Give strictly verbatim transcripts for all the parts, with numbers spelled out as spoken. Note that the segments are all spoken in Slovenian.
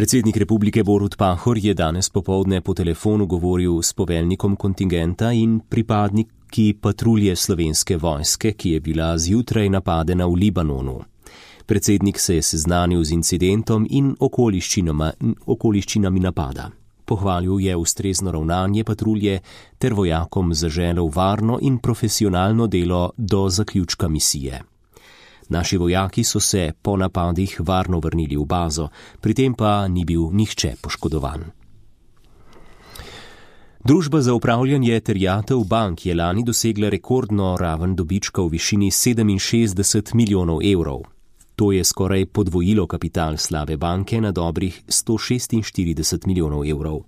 Predsednik republike Borut Pahor je danes popoldne po telefonu govoril s poveljnikom kontingenta in pripadniki patrulje Slovenske vojske, ki je bila zjutraj napadena v Libanonu. Predsednik se je seznanil z incidentom in okoliščinami, okoliščinami napada. Pohvalil je ustrezno ravnanje patrulje ter vojakom zaželel varno in profesionalno delo do zaključka misije. Naši vojaki so se po napadih varno vrnili v bazo, pri tem pa ni bil nihče poškodovan. Družba za upravljanje terjatev bank je lani dosegla rekordno raven dobička v višini sedeminšestdeset milijonov evrov. To je skoraj podvojilo kapital slabe banke na dobrih sto šestinštirideset milijonov evrov.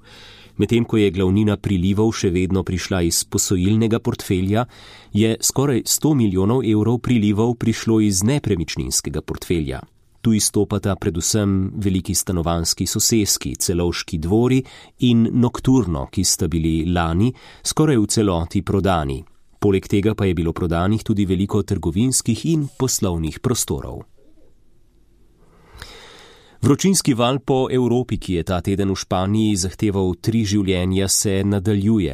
Medtem ko je glavnina prilivov še vedno prišla iz posojilnega portfelja, je skoraj sto milijonov evrov prilivov prišlo iz nepremičninskega portfelja. Tu izstopata predvsem veliki stanovanjski soseski, Celovški dvori in Nokturno, ki sta bili lani skoraj v celoti prodani. Poleg tega pa je bilo prodanih tudi veliko trgovinskih in poslovnih prostorov. Vročinski val po Evropi, ki je ta teden v Španiji zahteval tri življenja, se nadaljuje.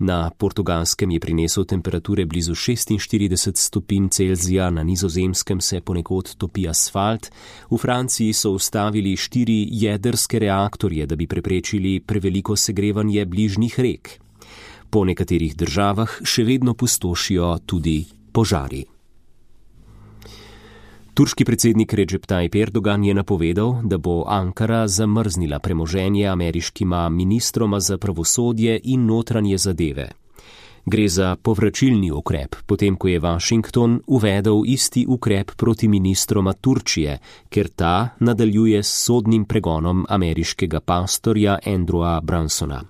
Na Portugalskem je prinesel temperature blizu šestinštirideset stopinj Celzija, na Nizozemskem se ponekod topi asfalt, v Franciji so ustavili štiri jedrske reaktorje, da bi preprečili preveliko segrevanje bližnjih rek. Po nekaterih državah še vedno pustošijo tudi požari. Turški predsednik Recep Tayyip Erdogan je napovedal, da bo Ankara zamrznila premoženje ameriškima ministroma za pravosodje in notranje zadeve. Gre za povračilni ukrep, potem ko je Washington uvedel isti ukrep proti ministroma Turčije, ker ta nadaljuje s sodnim pregonom ameriškega pastorja Andrewa Bransona.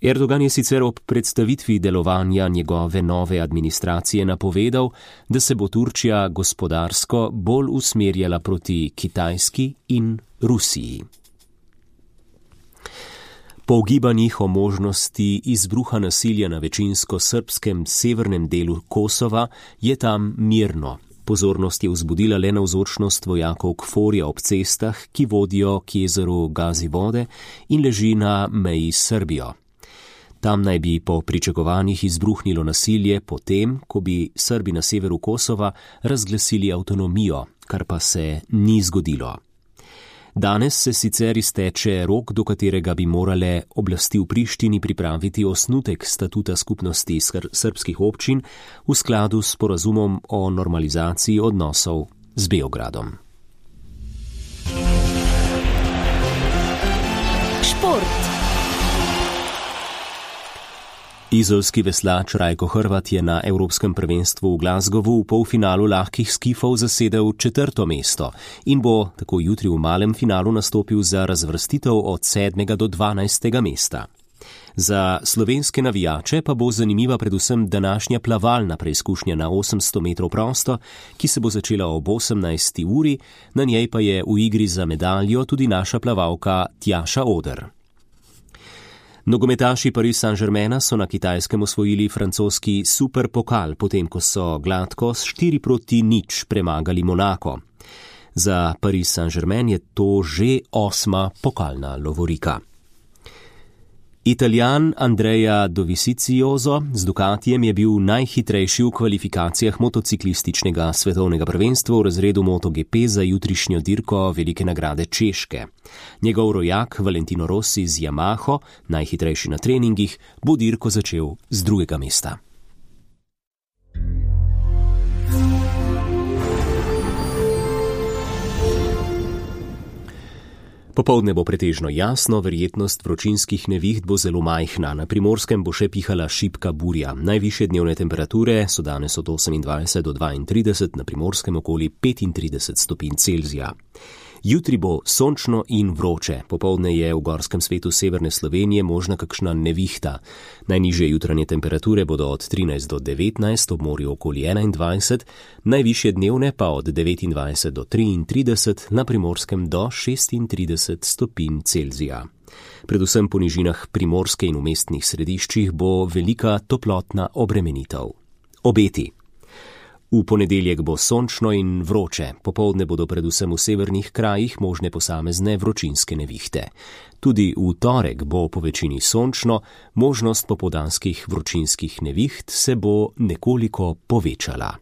Erdogan je sicer ob predstavitvi delovanja njegove nove administracije napovedal, da se bo Turčija gospodarsko bolj usmerjala proti Kitajski in Rusiji. Po ugibanjih o možnosti izbruha nasilja na večinsko srbskem severnem delu Kosova je tam mirno. Pozornost je vzbudila le navzočnost vojakov Kforja ob cestah, ki vodijo k jezeru Gazivode in leži na meji s Srbijo. Tam naj bi po pričakovanjih izbruhnilo nasilje potem, ko bi Srbi na severu Kosova razglasili avtonomijo, kar pa se ni zgodilo. Danes se sicer izteče rok, do katerega bi morale oblasti v Prištini pripraviti osnutek statuta skupnosti srbskih občin v skladu s sporazumom o normalizaciji odnosov z Beogradom. Šport. Izolski veslač Rajko Hrvat je na Evropskem prvenstvu v Glasgowu v polfinalu lahkih skifov zasedel četrto mesto in bo tako jutri v malem finalu nastopil za razvrstitev od sedmega do dvanajstega mesta. Za slovenske navijače pa bo zanimiva predvsem današnja plavalna preizkušnja na osemsto metrov prosto, ki se bo začela ob osemnajsti uri, na njej pa je v igri za medaljo tudi naša plavalka Tjaša Oder. Nogometaši Paris Saint-Germaina so na Kitajskem osvojili francoski superpokal, potem ko so gladko s štiri proti nič premagali Monako. Za Paris Saint-Germain je to že osma pokalna lovorika. Italijan Andrea Dovizioso z Ducatijem je bil najhitrejši v kvalifikacijah motociklističnega svetovnega prvenstva v razredu MotoGP za jutrišnjo dirko Velike nagrade Češke. Njegov rojak Valentino Rossi z Yamaho, najhitrejši na treningih, bo dirko začel z drugega mesta. Popoldne bo pretežno jasno, verjetnost vročinskih neviht bo zelo majhna, na Primorskem bo še pihala šibka burja. Najvišje dnevne temperature so danes od osemindvajset do dvaintrideset, na Primorskem okoli petintrideset stopinj Celzija. Jutri bo sončno in vroče, popoldne je v gorskem svetu severne Slovenije možna kakšna nevihta. Najnižje jutranje temperature bodo od trinajst do devetnajst, ob morju okoli enaindvajset, najvišje dnevne pa od devetindvajset do triintrideset, na Primorskem do šestintrideset stopinj Celzija. Predvsem po nižinah Primorske in v mestnih središčih bo velika toplotna obremenitev. Obeti. V ponedeljek bo sončno in vroče, popoldne bodo predvsem v severnih krajih možne posamezne vročinske nevihte. Tudi v torek bo po večini sončno, možnost popoldanskih vročinskih neviht se bo nekoliko povečala.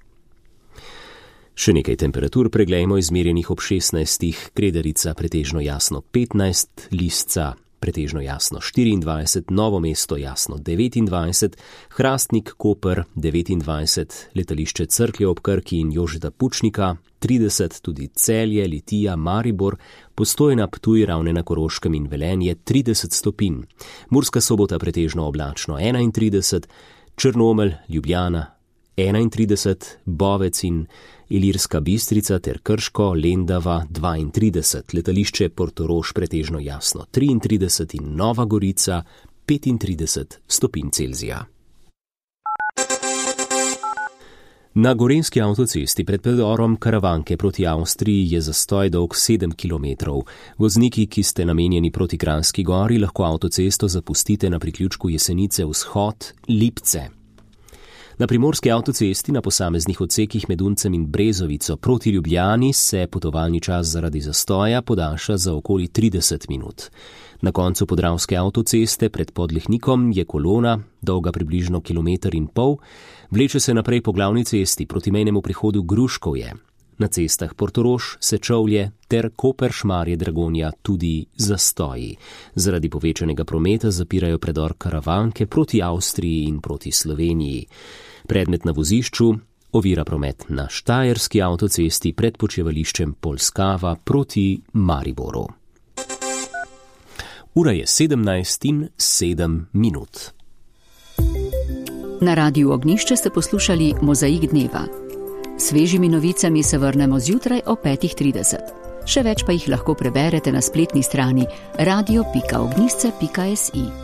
Še nekaj temperatur preglejmo izmerjenih ob šestnajstih, Kredarica pretežno jasno petnajst, Lisca pretežno jasno štiriindvajset, Novo mesto jasno devetindvajset, Hrastnik, Koper devetindvajset, letališče Cerklje ob Krki in Jožeta Pučnika trideset, tudi Celje, Litija, Maribor, Postojna, Ptuj, Ravne na Koroškem in Velenje trideset stopinj, Murska Sobota pretežno oblačno enaintrideset, Črnomelj, Ljubljana enaintrideset, Bovec in Ilirska Bistrica ter Krško, Lendava dvaintrideset, letališče Portorož pretežno jasno triintrideset in Nova Gorica petintrideset stopinj Celzija. Na gorenjski avtocesti pred predorom Karavanke proti Avstriji je zastoj dolg sedem kilometrov. Vozniki, ki ste namenjeni proti Kranjski Gori, lahko avtocesto zapustite na priključku Jesenice vzhod Lipce. Na primorski avtocesti na posameznih odsekih med Uncem in Brezovico proti Ljubljani se potovalni čas zaradi zastoja podaljša za okoli trideset minut. Na koncu podravske avtoceste pred Podlehnikom je kolona, dolga približno kilometer in pol, vleče se naprej po glavni cesti proti mejnemu prihodu Gruškovje. Na cestah Portorož, Sečovlje ter Koper, Šmarje, Dragonja tudi zastoji. Zaradi povečanega prometa zapirajo predor Karavanke proti Avstriji in proti Sloveniji. Predmet na vozišču ovira promet na štajerski avtocesti pred počivališčem Polskava proti Mariboru. Ura je sedemnajst in sedem minut. Na Radiu Ognjišče ste poslušali Mozaik dneva. Svežimi novicami se vrnemo zjutraj o petih trideset. Še več pa jih lahko preberete na spletni strani radio pika ognjišče pika si.